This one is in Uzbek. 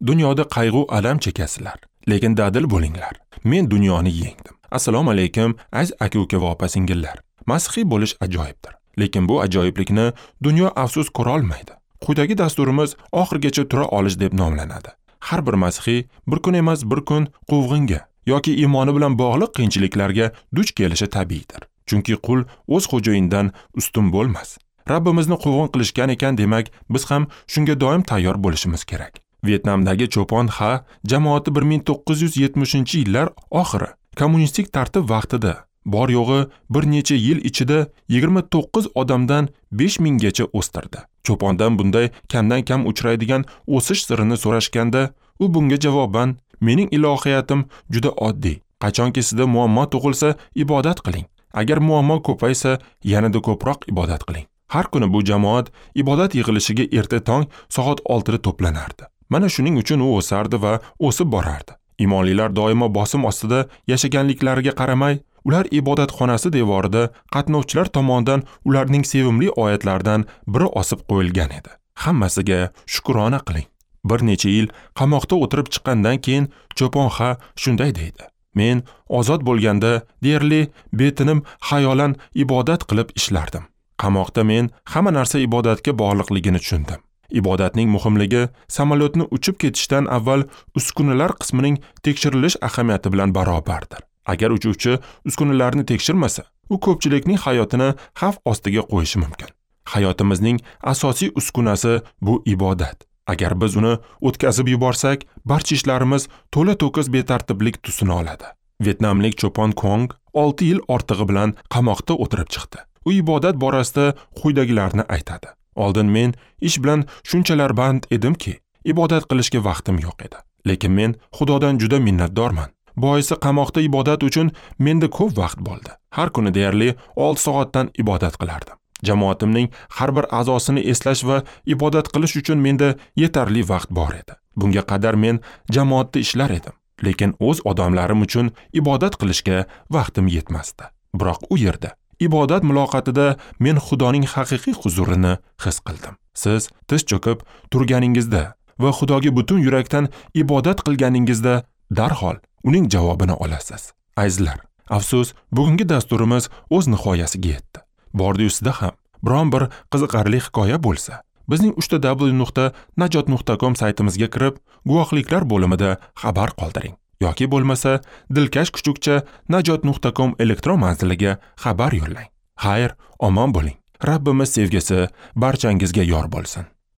Dunyoda qayg'u alam chekasizlar, lekin dadil bo'linglar. Men dunyoni yengdim. Assalomu alaykum, aziz aka-uka va opa-singillar. Masihiy bo'lish ajoyibdir, lekin bu ajoyiblikni dunyo afsus ko'ra olmaydi. Quyidagi dasturimiz oxirigacha tura olish deb nomlanadi. Har bir masihiy bir kun emas, bir kun quvg'inga yoki iymoni bilan bog'liq qiyinchiliklarga duch kelishi tabiiydir. Chunki qul o'z xo'jayinidan ustun bo'lmas. Rabbimizni quvg'in qilishgan ekan, demak, biz ham shunga doim tayyor bo'lishimiz kerak. Vyetnamdagi Cho'pon Ha jamoati 1970-yillar oxiri kommunistik tartib vaqtida bor yo'g'i bir necha yil ichida 29 odamdan 5000 gacha o'stirdi. Cho'pondan bunday kamdan kam uchraydigan o'sish sirini so'rashganda, u bunga javoban: "Mening ilohiyatim juda oddiy. Qachonki sizda muammo tug'ilsa, ibodat qiling. Agar muammo ko'paysa, yanada ko'proq ibodat qiling." Har kuni bu jamoat ibodat yig'ilishiga erta tong soat 6 da to'planardi. Mana shuning uchun u o'sardi va o'sib borardi. Imonlilar doimo bosim ostida yashaganliklariga qaramay, ular ibodatxonasi devorida qatnovchilar tomonidan ularning sevimli oyatlaridan biri osib qo'yilgan edi. Hammasiga shukrona qiling. Bir necha yil qamoqda o'tirib chiqqandan keyin Cho'pon Ha shunday deydi: "Men ozod bo'lganda deyarli betinim xayolan ibodat qilib ishlardim. Qamoqda men hamma narsa ibodatga bog'liqligini tushundim. Ibodatning muhimligi samolyotni uchib ketishdan avval uskunalar qismining tekshirilish ahamiyati bilan barobardir. Agar uchuvchi uskunalarni tekshirmasa, u ko'pchilikning hayotini xavf ostiga qo'yishi mumkin. Hayotimizning asosiy uskunasi bu ibodat. Agar biz uni o'tkazib yuborsak, barcha ishlarimiz to'la-to'kis betartiblik tusini oladi." Vyetnamlik Cho'pon Kong 6 yil ortig'i bilan qamoqda o'tirib chiqdi. U ibodat borasida quyidagilarni aytadi: "Oldin men ish bilan shunchalar band edimki, ibodat qilishga vaqtim yo'q edi. Lekin men Xudodan juda minnatdorman. Boisi qamoqda ibodat uchun menda ko'p vaqt bo'ldi. Har kuni deyarli 6 soatdan ibodat qilardim. Jamoatimning har bir a'zosini eslash va ibodat qilish uchun menda yetarli vaqt bor edi. Bunga qadar men jamoatda ishlar edim, lekin o'z odamlarim uchun ibodat qilishga vaqtim yetmasdi. Biroq u yerda ibodat muloqotida men Xudoning haqiqiy huzurini his qildim. Siz tiz cho'kib turganingizda va Xudoga butun yurakdan ibodat qilganingizda darhol uning javobini olasiz. Azizlar, afsus, bugungi dasturimiz o'z nihoyasiga yetdi. Bordi-yu sizda ham biron bir qiziqarli hikoya bo'lsa, bizning www.najot.com saytimizga kirib, guvohliklar bo'limida xabar qoldiring. Yoki bo'lmasa dilkash kuchukcha najot.com elektron manziliga xabar yo'llang. Xayr, omon bo'ling. Rabbimiz sevgisi barchangizga yor bo'lsin.